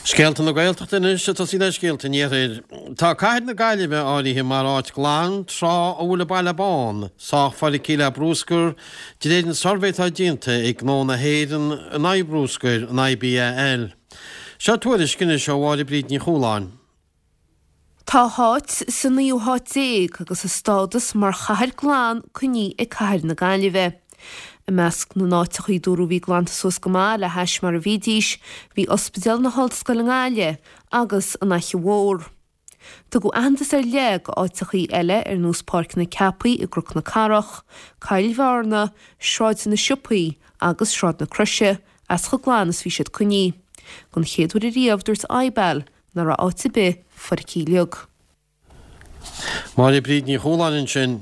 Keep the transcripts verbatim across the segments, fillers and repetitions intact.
Scéalta na Gaeltachta anois ag tosaí le scéalta an Iarthair. Tá cathair na Gaillimhe áirithe mar áit glan tráth a bhfuil an Baile Bán sách feicthe le bruscar de réir an suirbhé atá déanta ag Gnó na hÉireann in aghaidh bruscair an IBAL. Seo tuairisc anois ó Mháire Bríd Ní Chualáin. Tá háit sa naoú háit déag agus a stádas mar chathair glan coinnithe ag cathair na Gaillimhe. I measc na n-áiteacha a dúradh bhí glanta suas go maith le hais mar a bhídís, bhí Ospidéal na hOllscoile i nGaillimh agus an Fhaiche Mhór. Tugadh aitheantas ar leith d'áiteacha eile ar nós Páirc na Ceapaí i gCnoc na Cathrach, Cill Bhearna, Sráid na Siopaí agus Sráid na Croise as chomh glan is bhí siad coinnithe. Don chéad uair ariamh dúirt IBAL nach raibh áit ar bith foircthe uilig. Máire Bríd Ní Chualáin ansin.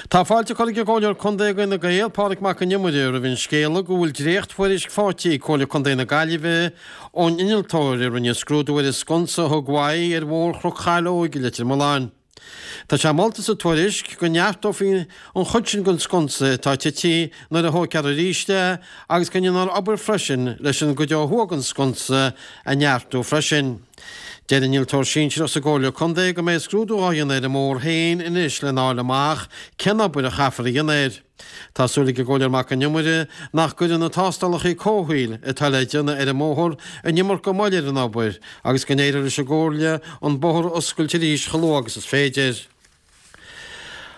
Tá fáilte curtha ag an gComhairleoir Contae d'Fhine Gael, Pádraig Mac Con Iomaire, roimh an scéala go bhfuil dréacht-thuairisc faighte ag Comhairle Contae na Gaillimhe ón innealtóir a rinne scrúdú ar an sconsa a thug uaidh ar Bhóthar Chnoc Chaileoig i Leitir Mealláin. Tá sé molta sa tuairisc go neartófaí an chuid sin den sconsa atá tite nuair a thógfar arís é agus go ndéanfar obair freisin leis an gcuid ó thuaidh den sconsa a neartú freisin. Deir innealtóir sinsearach sa gComhairle Contae go mbeidh scrúdú á dhéanamh ar an mbóthar féin anois lena fháil amach cén obair a chaithfear a dhéanamh air. Tá súil ag an gComhairleoir Mac Con Iomaire nach gcuirfidh na tástálacha comhshaoil atá le déanamh ar an mbóthar an iomarca moill ar an obair agus go n-éireoidh leis an gComhairle an bóthar a oscailt arís chomh luath agus is féidir.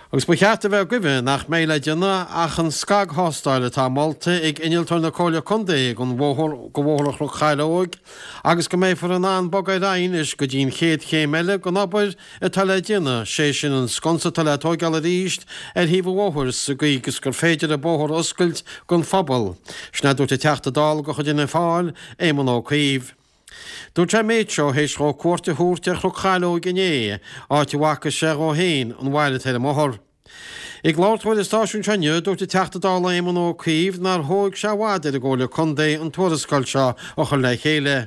Agus ba cheart a bheith agaibh nach mbeidh le déanamh ach an scagthástáil atá molta ag innealtóir na Comhairle Contae don bhóthar go Bhóthar Chnoc Chaileoig agus go mbeifear in ann bogadh ar aghaidh anois go dtí an chéad chéim eile den obair atá le déanamh, sé sin an sconsa atá le tóigeáil arís ar thaobh an bhóthair sa gcaoi gus gur féidir an bóthar a oscailt don phobal. Sin a dúirt an Teachta Dála de chuid Fhianna Fáil, Éamon Ó Cuív. Dúirt sé an méid seo théis dhó cuairt a thabhairt ar Chnoc Chaileoig inné, áit a bhfaca sé dhó féin an bhail atá ar an mbóthar. Ag labhairt dó ar an stáisiún seo inniu, dúirt an Teachta Dála Éamon Ó Cuív nár thóg sé i bhfad ar an gComhairle Contae an tuarascáil seo a chur le chéile.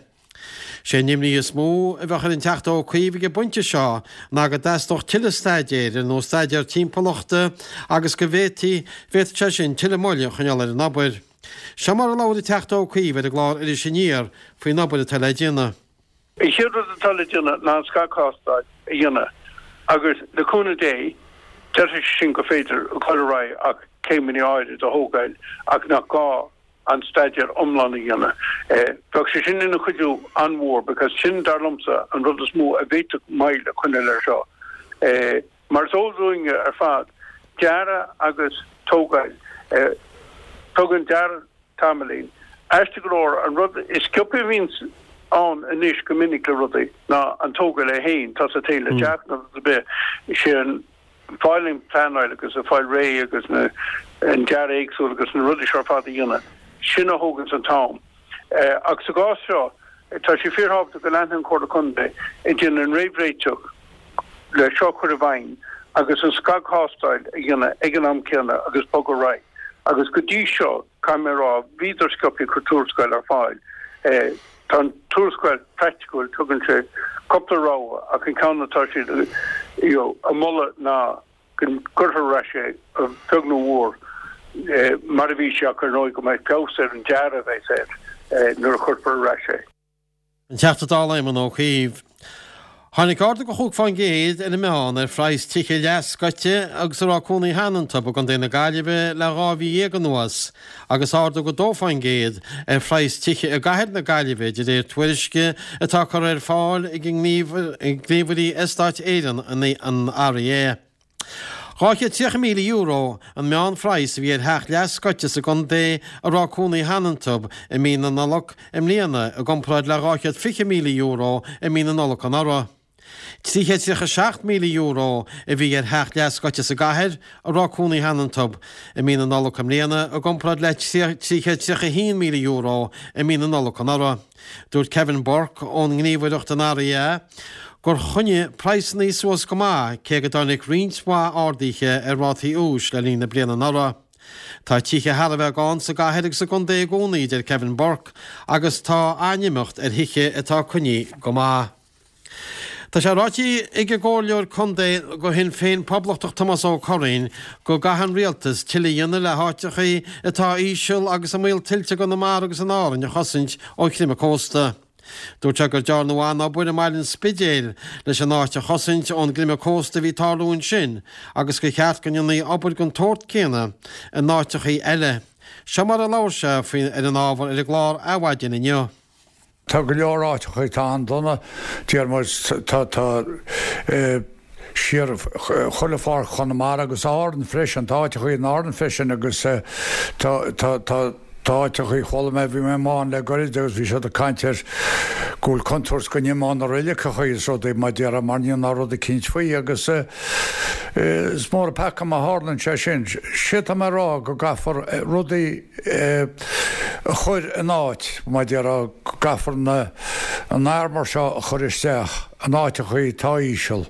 Sé an imní is mó a bheadh ar an Teachta Ó Cuív ag an bpointe seo ná go dteastódh tuilleadh staidéir, ar nós staidéar timpeallachta, agus go bhféadfaí, bhféadfadh sé sin tuilleadh moille a choinneáil ar an obair. Seo mar a labhair an Teachta Ó Cuív ar an gclár Iris Aniar faoin obair atá le déanamh. An chéad rud atá le déanamh ná an scagthástáil a dhéanamh agus le cúnamh Dé déarfaidh sé sin gur féidir dul ar aghaidh ach céimeanna áirid a thógáil ach nach gá an staidéar iomlán a dhéanamh. Bheadh sé sin ina chuidiú an-mhór because sin dar liomsa an rud is mó a bhféadfadh moill a choinneáil air seo. Mar is eol dúinne ar fad, dearadh agus tógáil, tógann dearadh tamaillín. Aisteach go leor, an rud is sciobtha a bhíonns ann anois go minic le rudaí ná an tógáil é féin, tá sa taobh le teach nó rud ar bith, sé an fáil an pleanáil agus an fáil réidh agus na an dearadh éagsúil agus na rudaí seo ar fad a dhéanamh, sin a thóganns an t-am. Ach sa gcás seo, tá sé fíorthábhachtach go leanfaidh an Chomhairle Contae ag déanamh an réamhréiteach le seo a chur i bhfeidhm agus an scagthástáil a dhéanamh ag an am céanna agus bogadh ar aghaidh. Agus go dtí seo, caithfidh mé a rá, bhíodar sciobtha ag cur tuarascáil ar fáil. Tá an tuarascáil praiticiúil, tugann sé cúpla rogha ach an ceann atá siad ag moladh ná go gcuirfear ar ais é, a bheag nó a mhór, mar a bhí sé ach ar ndóigh go mbeidh feabhas ar an dearadh a bheas air nuair a chuirfear ar ais é. An Teachta Dála Éamon Ó Cuív. Tháinig ardú de chúig fán gcéad ar an meán ar phraghas tithe leathscoite agus a raibh cónaí cheana iontu i gContae na Gaillimhe le dhá mhí dhéag anuas agus ardú de dó fán gcéad ar phraghas tithe i gcathair na Gaillimhe de réir tuairisce atá curtha ar fáil ag Gníomhairí Eastáit Éireann, an REA. Dhá chéad tríocha míle euro an meánphraghas a bhí ar theach leathscoite sa gcontae a raibh cónaí cheana iontu i mí na Nollag i mbliana i gcomparáid le dhá chéad fiche míle euro i mí na Nollag anuraidh. Trí chéad tríocha seacht míle euro a bhí ar theach leathscoite sa gcathair a raibh cónaí cheana iontu i mí na Nollag i mbliana i gcomparáid le trí chéad tríocha a haon míle euro i mí na Nollag anuraidh. Dúirt Kevin Burke ón ngníomhaireacht an REA gur choinnigh praghsanna suas go maith cé go dtáinig roinnt mhaith arduithe ar rátaí úis le linn na bliana anuraidh. Tá tithe thar a bheith gann sa gcathair agus sa gcontae i gcónaí, a deir Kevin Burke, agus tá an-imeacht ar thithe atá coinnithe go maith. Tá sé ráite ag an gComhairleoir Contae do Shinn Féin Poblachtach Tomás Ó Curraoin go gcaithfidh an Rialtas tuilleadh a dhéanamh le háiteacha atá íseal agus i mbaol tuilte i gConamara agus in Árainn a chosaint ó chreimeadh cósta. Dúirt sé gur dearnadh an-obair i mBaile an Spidéil leis an áit a chosaint ón gcreimeadh cósta a bhí ag tarlú ansin agus gur cheart go ndéanfaí obair den tsórt céanna in áiteachaí eile. Seo mar a labhair sé faoi ar an ábhar ar an gclár Adhmhaidin inniu. Tá go leor áiteacha atá an-dona, deir muid, tá tá siar chuile pháirc Chonamara agus Árann freisin, tá áiteacha in Árann freisin agus tá tá tá tá áiteacha, chuala mé, bhí mé i Maigh le goirid agus bhí siad ag caint ar go bhfuil contúirt go n-imeodh na reiligeacha is rudaí mar déarfá mar níl ná rud eicínt faoi agus is mór an peaca má tharlaíonn sé sin. Sé tá mé a rá go gcaithfear rudaí a chur in áit, mar déarfá, go gcaithfear na an armour seo a chur isteach in áiteacha atá íseal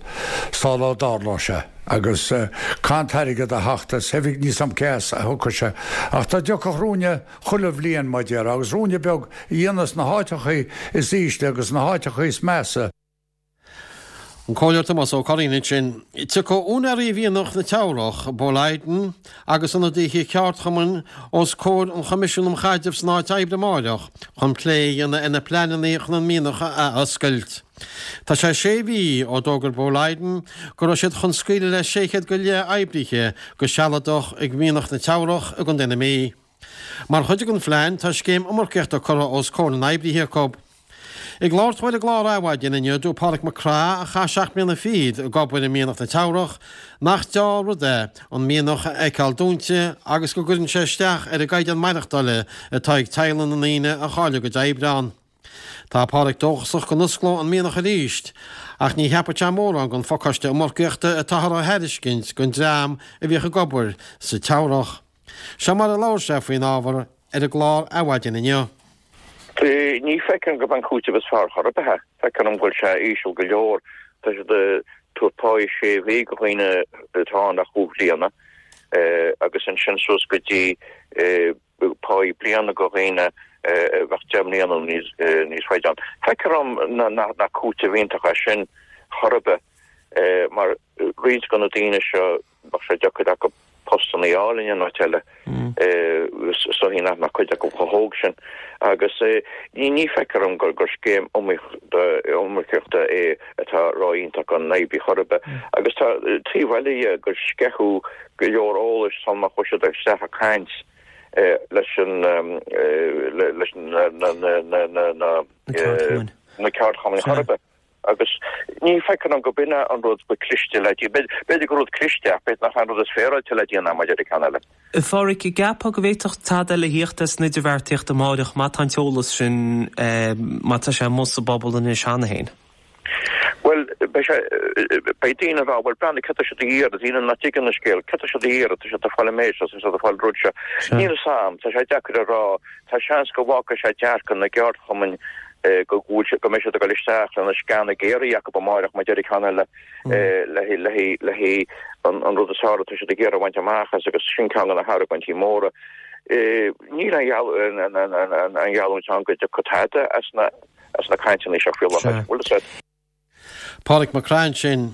sula dtarlóidh sé agus caithfidh an t-airgead a theacht as oifig, níl 's a'm cé as a thiocfaidh sé ach dá dtiocfadh ruainne chuile bhliain mar déarfá agus ruainne beag a dhéanamh sna háiteacha is ísle agus sna háiteacha is measa. An Comhairleoir Tomás Ó Curraoin ansin. Tiocfaidh úinéirí mhianach na Teamhrach, Boliden, agus ionadaithe ceardchumainn os comhair an Choimisiúin um Chaidreamh san Áit Oibre amáireach chun plé a dhéanamh ar na pleananna chun an mianach a athoscailt. Tá sé sé mhí ó d'fhógair Boliden go raibh siad chun scaoileadh le sé chéad go leith oibrithe go sealadach ag mianach na Teamhrach i gContae na Mí. Mar chuid den phlean tá scéim iomarcaíochta curtha os comhair na n-oibrithe acu. Ag labhairt dó ar an gclár Adhmhaidin inniu, dúirt Pádraig Mac Craith, a chaith seacht mbliana fichead ag obair i mianach na Teamhrach, nach dea-rud é an mianach a fheiceáil dúnta agus go gcuireann sé isteach ar an gcaighdeán maireachtála atá ag teaghlaigh na ndaoine a chaill a gcuid oibre ann. Tá Pádraig dóchasach go n-osclóidh an mianach arís ach ní cheapfaidh sé mórán den phacáiste iomarcaíochta atáthar a thairiscint don dream a bhíodh ag obair sa Teamhrach. Seo mar a labhair sé faoin ábhar ar an gclár Adhmhaidin inniu. Ní feicim gurb an cúiteamh is fearr chor ar bith é. Feictear dom go bhfuil sé íseal go leor. Tá siad ag tabhairt páí sé mhí go dhaoine atá ann le chúig bhliana agus ansin suas go dtí páí bliana go dhaoine a bheadh deich mbliana nó níos faide ann. Feictear dom nach cúiteamh iontach é sin chor ar bith mar roinnt de na daoine seo bheadh sé deacair acu postanna a fháil in aon áit eile. Is dóichí nach mbeadh cuid acu chomh hóg sin. Agus ní feictear dom gur scéim iomarcaíochta é atá ró-iontach don oibrí chor ar bith. Agus tá taobh eile dhe gur sceitheadh go leor eolais sula mbeadh siad isteach ag caint leis an leis na ceardchumainn chor ar bith. Agus ní feictear dom go b'in é an rud ba cliste le déanamh. B'fhéidir gur rud cliste ach b'fhéidir nach é an rud is féaráilte le déanamh maidir le ceann eile. A Phádraic, an gceapfá go bhféadfadh tada eile a thíocht as an idirbheartaíocht amáireach má tá an t-eolas sin, má tá sé amuigh sa bpobal anois cheana féin? Bhuel, beidh sé, beidh daoine ag rá, bhuel, breathnaigh, céard tá siad ag iarraidh, daoine nach dtuigeann an scéal, céard tá siad ag iarraidh, tá siad ag fáil an méid seo, tá siad ag fáil an rud seo. Níl a fhios a'm, tá sé deacair a rá, tá seans go bhfágfaidh sé dearcadh na gceardchumainn go bhfuil siad, go mbeidh siad ag dul isteach lena sceana géaraithe acu amáireach má deir ceann eile le le an rud is fearr atá siad ag iarraidh a bhaint amach as agus sin ceann de na hargóintí móra. Níl aon gheallúint ann go dtiocfaidh tada as na as na cainteanna seo faoi láthair. Bhfuil fhios a'd. Pádraig Mac Craith ansin.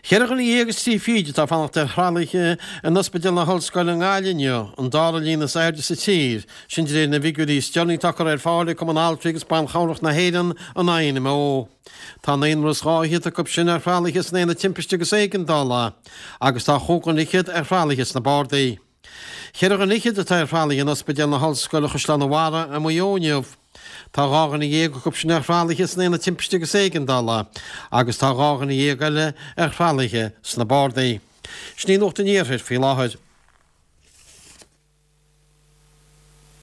Ceithre dhuine dhéag is trí fichid atá ag fanacht ar thralaithe in Ospidéal na hOllscoile i nGaillimh inniu, an dara líon is airde sa tír, sin de réir na bhfigiúirí is deireanaí atá curtha ar fáil ag Cumann Altraí agus Ban Chabhrach na hÉireann, an INMO. Tá naonúr is dhá fhichead acu sin ar thralaithe san Aonad Timpiste agus Éigeandála agus tá chúig dhuine fhichead ar thralaithe sna bardaí. Ceithre dhuine fhichead atá ar thralaithe in Ospidéal na hOllscoile Chaisleán an Bharraigh i Maigh Eo inniu. Tá dhá dhuine dhéag acu sin ar thralaithe san Aonad Timpiste agus Éigeandála agus tá dhá dhuine dhéag eile ar thralaithe sna bardaí. Sin í Nuacht an Iarthair faoi láthair.